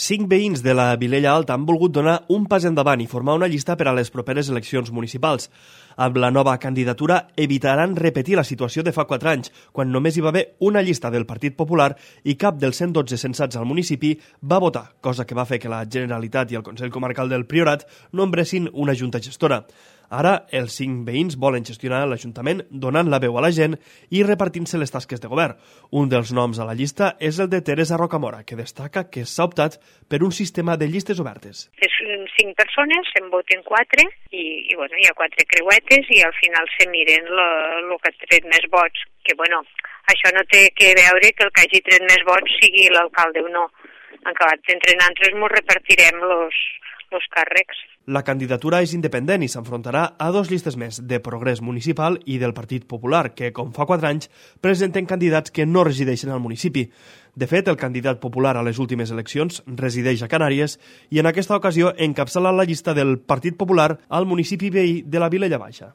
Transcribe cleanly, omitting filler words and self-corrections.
5 veïns de la Vilella Alta han volgut donar un pas endavant i formar una llista per a les properes eleccions municipals. Amb la nova candidatura evitaran repetir la situació de fa 4 anys, quan només hi va haver una llista del Partit Popular i cap dels 112 censats al municipi va votar, cosa que va fer que la Generalitat i el Consell Comarcal del Priorat nombressin una junta gestora. Ara, els 5 veïns volen gestionar l'Ajuntament donant la veu a la gent i repartint-se les tasques de govern. Un dels noms a la llista és el de Teresa Rocamora, que destaca que s'ha optat per un sistema de llistes obertes. Són 5 persones, se'n voten 4 i hi ha 4 creuetes i al final se miren el que ha tret més vots. Que això no té que veure que el que hagi tret més vots sigui l'alcalde o no. Acabat entre nosaltres ens repartirem els càrrecs. La candidatura és independent i s'enfrontarà a 2 llistes més, de Progrés Municipal i del Partit Popular, que, com fa 4 anys, presenten candidats que no resideixen al municipi. De fet, el candidat popular a les últimes eleccions resideix a Canàries i en aquesta ocasió encapçala la llista del Partit Popular al municipi veí de la Vilella Baixa.